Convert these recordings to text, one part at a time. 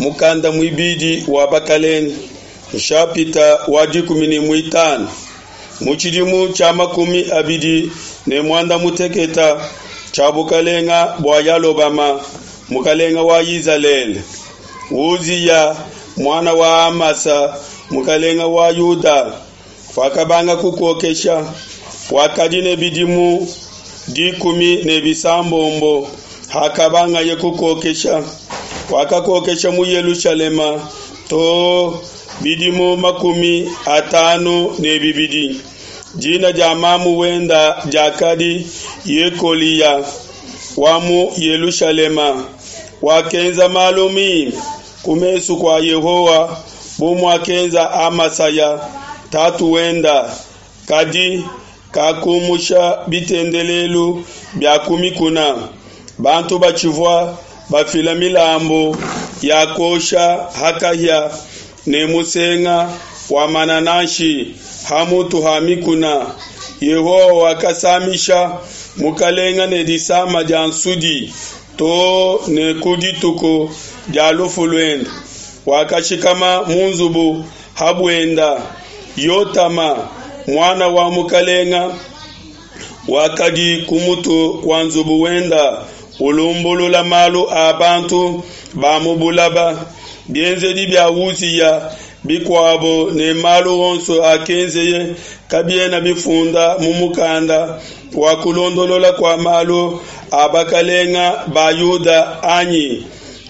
Mukanda muibidi wa Bakelenge, nshapita wa 15. Mu tshidimu tshia 28 tshia bukalenga bua Yalobama, mukalenga wa Izalele, Uziya muana wa Amasa, mukalenga wa Yuda, wakabanga kukokesha. Wakadi ne bidimu 16 hakabangaye kukokesha. Wakakokesha mu Yelushalema too bidimu 52. Dina dia mamu wenda diakadi Yekoliya wa mu Yelushalema. Wakenza malu mimpe ku mesu kua Yehowa bu muakenza Amasaya tatu wenda, kadi kakumusha bitendelelu bia ku mikuna. Bantu batshivua bafila milambu ya kuosha ha kahia ne musenga wa manananshi ha mutu ha mikuna. Yehowa wakasamisha mukalenga ne disama dia nsudi too ne ku dituku dia lufu luende. Wakashikama mu nzubu ha buenda. Yotama muana wa mukalenga wakadi ku mutu kua nzubu wenda ulumbulula malu a bantu ba mu bulaba. Bienzedi bia Uziya bikuabo ne malu onso akenzeye kabiena bifunda mu mukanda wa kulondolola kua malu a bakalenga ba Yuda anyi?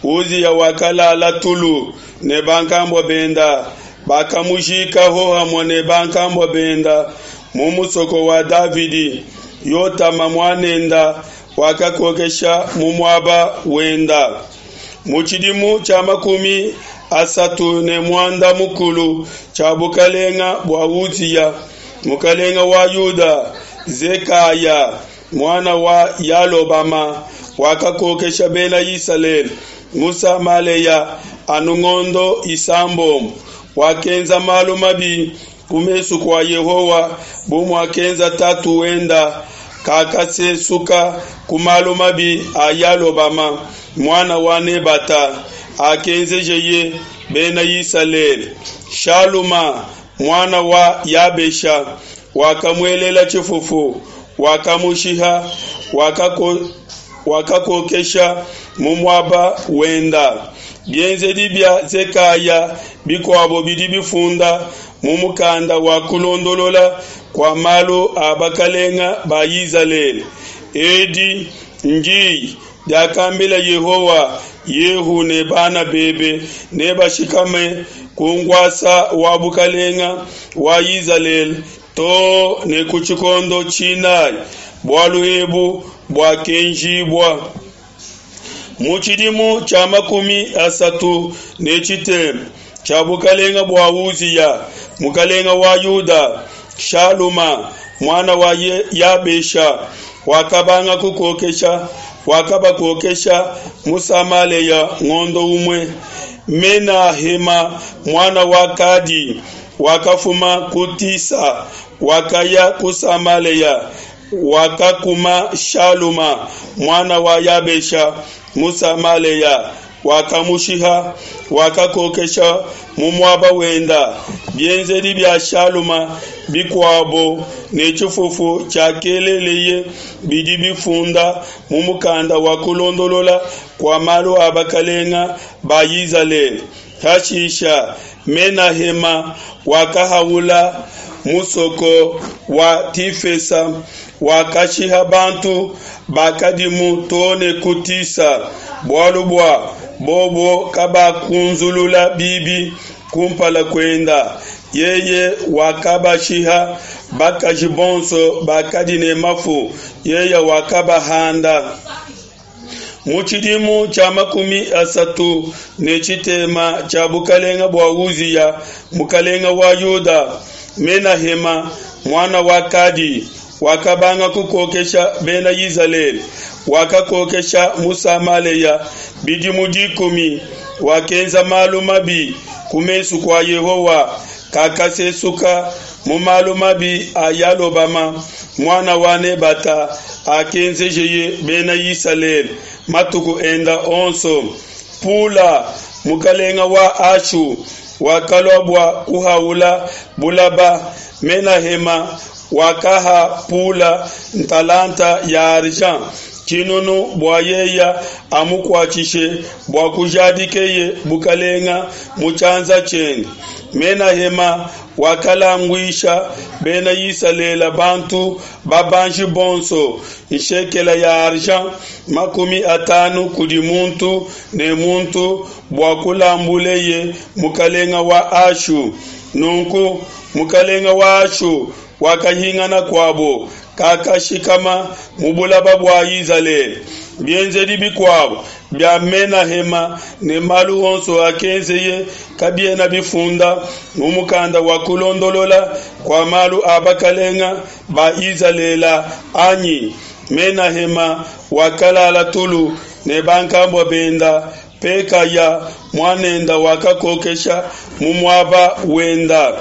Uziya wakalala tulu ne bankambua benda, bakamujika hohamue ne bankambua benda mu musoko wa Davidi. Yotama muanenda wakakokesha mu muaba wenda. Mu tshidimu tshia 35 tshia bukalenga bua Uziya, mukalenga wa Yuda, Zekaya muana wa Yalobama wakakokesha bena Isalele mu Samalea anu ngondo 6. Wakenza malu mabi ku mesu kua Yehowa bu muakenza tatu wenda. Kakasesuka ku malu mabi a Yalobama muana wa Nebata akenzejeye bena Isalele. Shaluma muana wa Yabesha wakamuelela tshifufu, wakamushiha, wakakokesha mu muaba wenda. Bienzedi bia Zekaya bikuabo bidi bifunda mu mukanda wa kulondolola kua malu a bakalenga ba Izalele. Edi ndi diakambila Yehowa, Yehu ne bana bebe nebashikame ku nkuasa wa bukalenga wa Izalele too ne ku tshikondo tshinayi. Bualu ebu buakenjibua mu tshidimu tshia 36 tshia bukalenga bua Uziya mukalenga wa Yuda. Shaluma muana wa Yabesha wakabanga kukokesha, wakabakokesha mu Samalea ngondo umue. Menahema muana wa Kadi wakafuma ku Tisa, wakaya ku Samalea, wakakuma Shaluma muana wa Yabesha mu Samalea, wakamushiha, wakakokesha mu muaba wenda. Bienzedi bia Shaluma bikuabo ne tshifufu tshiakeleleye bidi bifunda mu mukanda wa kulondolola kua malu a bakalenga ba Izalele. Hashisha Menahema wakahaula musoko wa Tifesa, wakashiha bantu bakadimu too ne ku Tisa, bualu bua bobo kabakunzulula bibi kumpala kuenda. Yeye wakabashiha bakaji bonso bakadi ne mafu, yeye wakabahanda. Mu tshidimu tshia 36 tshia bukalenga bua Uziya mukalenga wa Yuda, Menahema muana wa Kadi wakabanga kukokesha bena Izalele. Wakakokesha mu Samalea bidimu 10. Wakenza malu mabi ku mesu kua Yehowa, kakasesuka mu malu mabi a Yalobama muana wa Nebata akenzejeye bena Isalele matuku enda onso. Pula mukalenga wa Ashu, wakalua bua kuhaula bulaba. Menahema wakaha Pula ntalanta ya argent tshinunu bua yeya amukuatshishe bua kujadikeye bukalenga mu tshianza tshiende. Menahema wakalanguisha bena Isalele bantu babanji bonso nshekela ya argent 50 kudi muntu ne muntu bua kulambuleye mukalenga wa Ashu. Nunku mukalenga wa Ashu wakahingana kuabo, kakashikama mu bulaba bua Izalele. Bienzedi bikuabo bia Menahema ne malu onso akenzeye kabiena bifunda mu mukanda wa kulondolola kua malu a bakalenga ba Izalele anyi? Menahema wakalala tulu ne bankambua benda, Pekaya muanenda wakakokesha mu muaba wenda.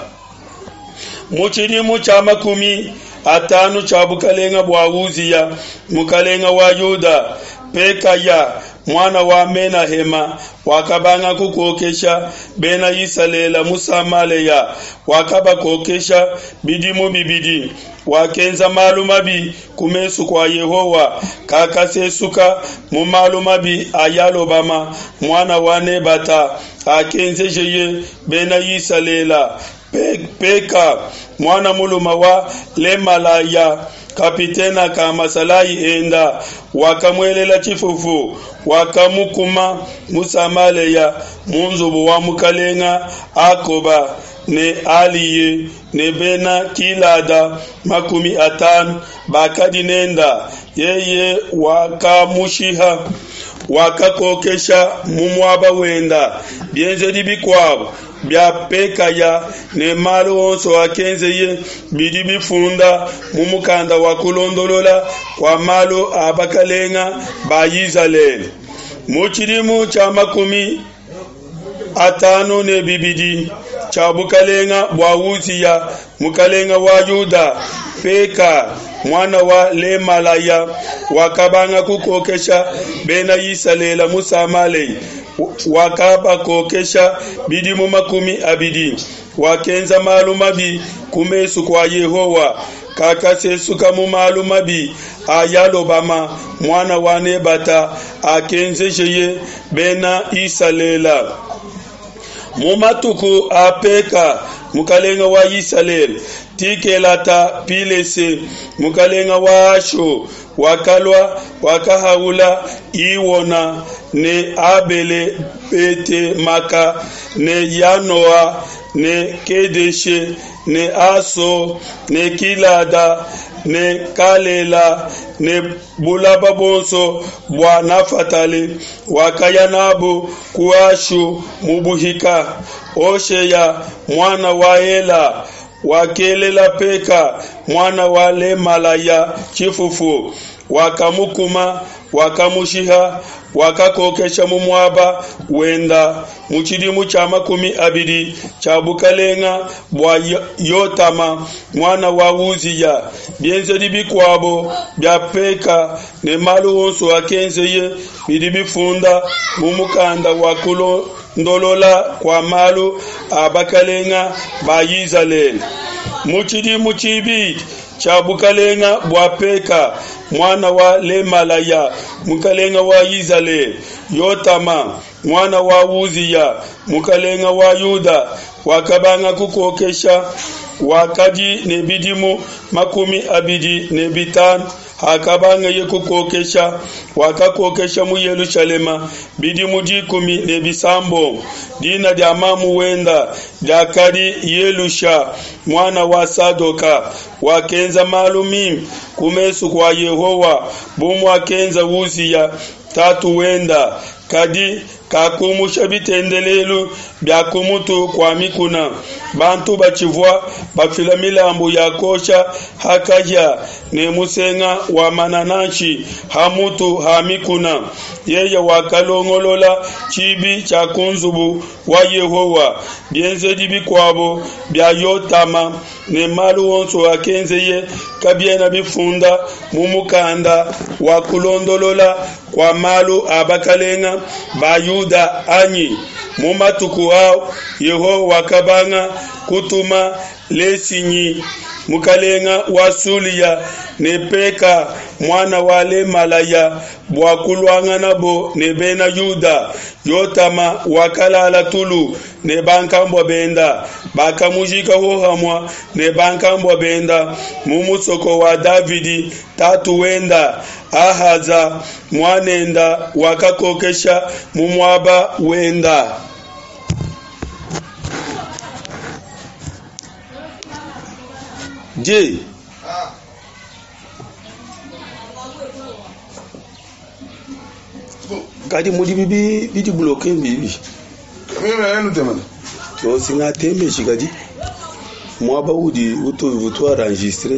Mu tshidimu tshia 50 tshia bukalenga bua Uziya mukalenga wa Yuda, Pekaya muana wa Menahema wakabanga kukokesha bena Isalele mu Samalea, wakabakokesha bidimu bibidi. Wakenza malu mabi ku mesu kua Yehowa, kakasesuka mu malu mabi a Yalobama muana wa Nebata akenzejeye bena Isalele. Peka muana muluma wa Lemalaya kapitena ka masalayi enda wakamuelela tshifufu, wakamukuma mu Samalea mu nzubu wa mukalenga Akoba ne Aliye ne bena Kilada 50 bakadi nenda. Yeye wakamushiha, wakakokesha mu muaba wenda. Bienzedi bikuabo bia Pekaya ne malu onso akenzeye bidi bifunda mu mukanda wa kulondolola kua malu a bakalenga ba Izalele. Mu tshidimu tshia 52 tshia bukalenga bua Uziya mukalenga wa Yuda, Peka muana wa Lemalaya wakabanga kukokesha bena Isalele mu Samalea, wakabakokesha bidimu 20. Wakenza malu mabi ku mesu kua Yehowa, kakasesuka mu malu mabi a Yalobama muana wa Nebata akenzejeye bena Isalele. Mu matuku a Peka mukalenga wa Isalele, Tikelata Pilese mukalenga wa Ashu wakalua, wakahaula Iwona ne Abele Bete Maka ne Yanoa ne Kedeshe ne Aso ne Kilada ne Kalela ne bulaba bonso bua Nafatale, wakaya nabo ku Ashu mu buhika. Osheya muana wa Ela wakelela Peka muana wa Lemalaya tshifufu, wakamukuma, wakamushiha, wakakokesha mu muaba wenda. Mu tshidimu tshia 20 tshia bukalenga bua Yotama muana wa Uziya, bienzedi bikuabo bia Peka ne malu onso akenzeye bidi bifunda mu mukanda wa kulondolola kua malu a bakalenga ba Izalele. Mu tshidimu tshibidi tshia bukalenga bua Peka muana wa Lemalaya mukalenga wa Izalele, Yotama muana wa Uziya mukalenga wa Yuda wakabanga kukokesha. Wakadi ne bidimu 25 hakabangeye kukokesha, wakakokesha mu Yelushalema bidimu 16. Dina dia mamu wenda diakadi Yelusha muana wa Sadoka. Wakenza malu mimpe ku mesu kua Yehowa bu muakenza Uziya tatu wenda, kadi kakumusha bitendelelu bia kumutu kua mikuna. Bantu batshivua bafila milambu ya kosha hakahia ne musenga wa manananshi ha mutu ha mikuna. Yeye wakalongolola tshibi tshia ku nzubu wa Yehowa. Bienzedi bikuabo bia Yotama ne malu onso akenzeye kabiena bifunda mu mukanda wa kulondolola kua malu a bakalenga ba Yuda anyi? Mu matuku au Yehowa wakabanga kutuma Lesinyi mukalenga wa Sulia ne Peka muana wa Lemalaya bua kuluanganabo ne bena Yuda. Yotama wakalala tulu ne bankambua benda, bakamujika hohamue ne bankambua benda mu musoko wa Davidi tatu wenda. Ahaza muanenda wakakokesha mu muaba wenda. Je, kadi mudi bibi bidi bloke bibi to singatembeshi kadi muaba udi utu enregistre.